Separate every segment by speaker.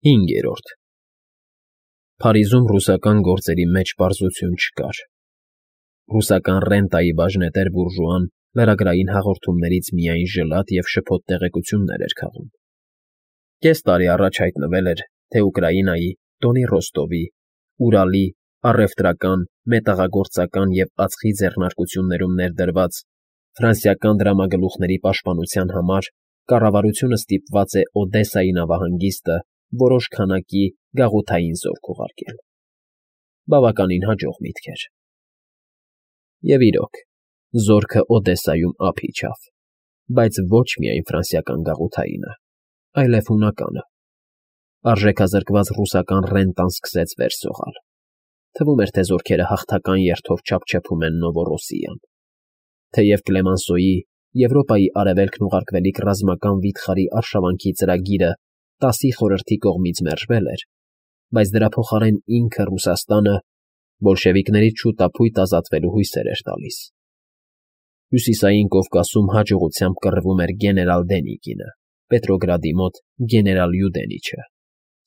Speaker 1: 5. Փարիզում ռուսական գործերի մեջ պարզություն չկար. ռուսական ռենտայի բաժնետեր բուրժուան լրագրային հաղորդումներից միայն ժլատ և շփոթ տեղեկություններ էր քաղում. կես տարի առաջ հայտնվել էր, թե Ուկրաինայի, Դոնի Ռոստովի, Ուրալի առևտրական, մետաղագործական և ածխի ձեռնարկություններում ներդրված ֆրանսիական դրամագլուխների պաշտպանության համար կառավարությունը ստիպված է Օդեսայի նավահանգիստը որոշ քանակի գաղութային զորք ուղարկել. բավականին հաջող միտք էր. և իրոք, զորքը Օդեսայում ափ իջավ, բայց ոչ միայն ֆրանսիական գաղութայինը, այլև հունականը. արժեքազրկված ռուսական ռենտան սկսեց վեր սողալ. թվում էր, թե զորքերը հաղթական երթով չափչփում են Նովոռոսիան. թեև Կլեմանսոյի Եվրոպայի արևելքն ուղարկվելիք ռազմական վիթխարի արշավանքի ծրագիրը 10-ի խորհրդի կողմից մերժվել էր, բայց դրա փոխարեն ինքը Ռուսաստանը բոլշևիկներից շուտափույթ ազատվելու հույսեր էր տալիս. Հյուսիսային Կովկասում հաջողությամբ կռվում էր գեներալ Դենիկինը, Պետրոգրադի մոտ գեներալ Յուդենիչը,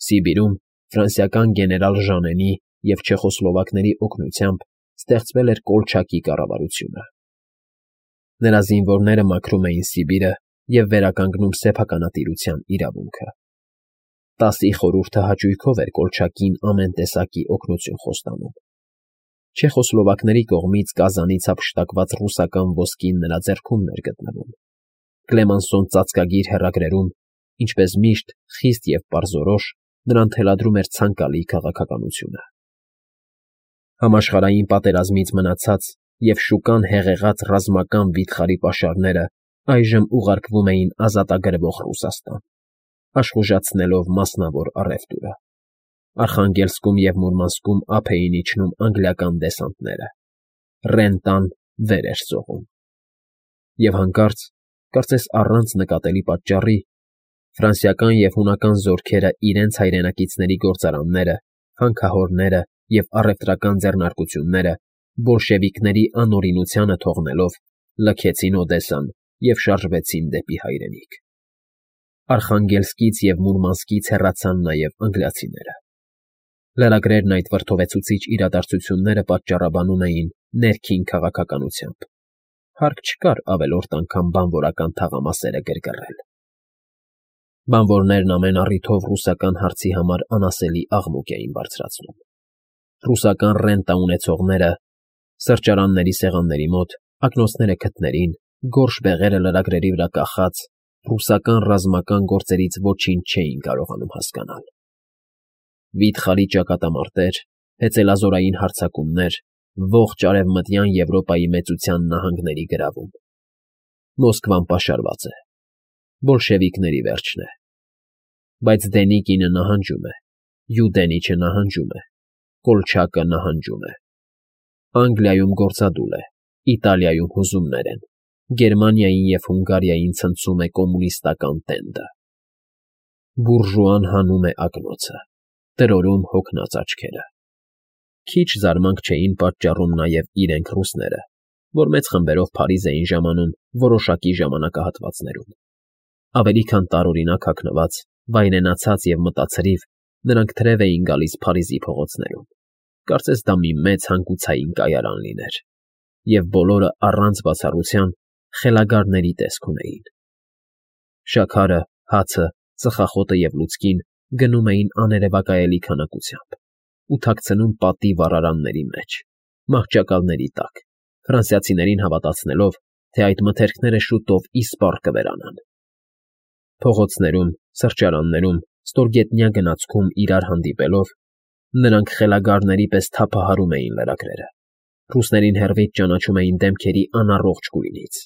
Speaker 1: Սիբիրում ֆրանսիական գեներալ Ժանենի և չեխոսլովակների օգնությամբ ստեղծվել էր Կոլչակի կառավարությունը. նրա զինվորները մաքրում էին Սիբիրը և վերականգնում սեփականատիրության իրավունքը. 10-ի խորհուրդը հաճույքով էր Կոլչակին ամեն տեսակի օգնություն խոստանում. չեխոսլովակների կողմից Կազանից հափշտակված ռուսական ոսկին նրա ձեռքում էր գտնվում. Կլեմանսոն ծածկագիր հեռագրերում, ինչպես միշտ, խիստ և պարզորոշ նրան թելադրում էր ցանկալի քաղաքականությունը. Համաշխարհային պատերազմից մնացած և շուկան հեղեղած ռազմական վիթխարի պաշարները այժմ ուղարկվում էին ազատագրվող Ռուսաստան, աշխուժացնելով մասնավոր առևտուրը. Արխանգելսկում և Մուրմանսկում ափ էին իջնում անգլիական դեսանտները, ռենտան վեր էր սողում. և հանկարծ, կարծես առանց նկատելի պատճառի, ֆրանսիական և հունական զորքերը իրենց հայրենակիցների գործարանները, հանքահորները և առևտրական ձեռնարկությունները բոլշևիկների անօրինությանը թողնելով լքեցին Օդեսան և շարժվեցին դեպի հայրենիք. Արխանգելսկից և Մուրմանսկից հեռացան նաև անգլիացիները. լրագրերն այդ վրդովեցուցիչ իրադարձությունները պատճառաբանում էին ներքին քաղաքականությամբ. հարկ չկար ավելորդ անգամ բանվորական թաղամասերը գրգռել. Բանվորներն ամեն առիթով ռուսական հարցի համար անասելի աղմուկ էին բարձրացնում. ռուսական ռենտա ունեցողները, սրճարանների սեղանների մոտ, ակնոցները քթներին, գորշ բեղերը լրագրերի վրա կախած, ռուսական ռազմական գործերից ոչինչ չէին կարողանում հասկանալ. Վիթխարի ճակատամարտեր, հեծելազորային հարձակումներ, ողջ Արևմտյան Եվրոպայի մեծության նահանգների գրավում. Մոսկվան պաշարված է. բոլշևիկների վերջն է. բայց Դենիկինը նահանջում է, Յուդենիչը նահանջում է, Կոլչակը նահանջում է. Անգլիայում գործադուլ է, Իտալիայում հուզումներ են, Գերմանիային և Հունգարիային ցնցում է կոմունիստական տենդը. բուրժուան հանում է ակնոցը, տրորում հոգնած աչքերը. Քիչ զարմանք չէին պատճառում նաև իրենք ռուսները, որ մեծ խմբերով Փարիզ էին ժամանում որոշակի ժամանակահատվածներում. ավելի քան տարօրինակ հագնված, վայրենացած և մտացրիվ նրանք թրև էին գալիս Փարիզի փողոցներում, կարծես դա մի մեծ հանգուցային կայարան լիներ, և բոլորը առանց բացառության խելագարների տեսք ունեին. շաքարը, հացը, ծխախոտը և լուցկին գնում էին աներևակայելի քանակությամբ ու թաքցնում պատի վառարանների մեջ, մահճակալների տակ, ֆրանսիացիներին հավատացնելով, թե այդ մթերքները շուտով իսպառ կվերանան. Փողոցներում, սրճարաններում, ստորգետնյա գնացքում իրար հանդիպելով, նրանք խելագարների պես թափահարում էին լրագրերը, ռուսներին հեռվից ճանաչում էին դեմքերի անառողջ գույնից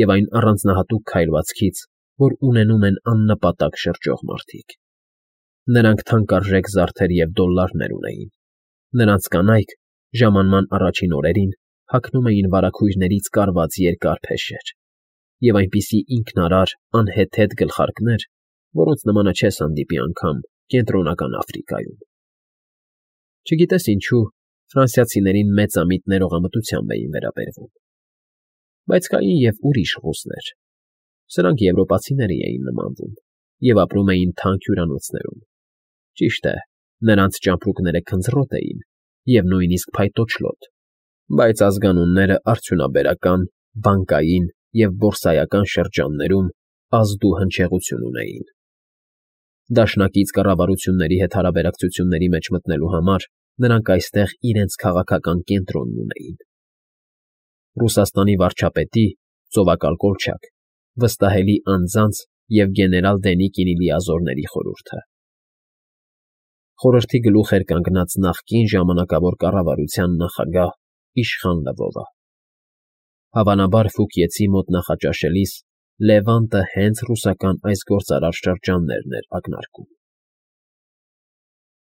Speaker 1: և այն առանձնահատուկ քայլվածքից, որ ունենում են աննպատակ շրջող մարդիկ. նրանք թանկարժեք զարդեր և դոլլարներ ունեին, նրանց կանայք ժամանման առաջին օրերին հագնում էին վարագույրներից կարված երկար փեշեր և այնպիսի ինքնարար, անհեթեթ գլխարկներ, որոնց նմանը չես հանդիպի անգամ Կենտրոնական Աֆրիկայում. չգիտես ինչու, ֆրանսիացիներին մեծամիտ ներողամտությամբ էին վերաբերվում. բայց կային և ուրիշ ռուսներ. սրանք եվրոպացիների էին նմանվում և ապրում էին թանկ հյուրանոցներում, Ճիշտ է, նրանց ճամպրուկները քնձռոտ էին և նույնիսկ փայտոջլոտ, բայց ազգանունները արդյունաբերական, բանկային և բորսայական շրջաններում ազդու հնչեղություն ունեին։ Դաշնակից կառավարությունների հետ հարաբերակցությունների մեջ մտնելու համար նրանք այստեղ իրենց քաղաքական կենտրոնն ունեին։ Ռուսաստանի վարչապետի՝ ծովակալ Կոլչակ, վստահելի անձանց և գեներալ Դենիկինի լիազորների խորհուրդը։ Խորհրդի գլուխ էր կանգնած նախկին ժամանակավոր կառավարության նախագահ Իշխան Լվովը։ Հավանաբար Ֆուկիեցի մոտ նախաճաշելիս Լևանտը հենց ռուսական այս գործարար շրջաններն էր ակնարկում։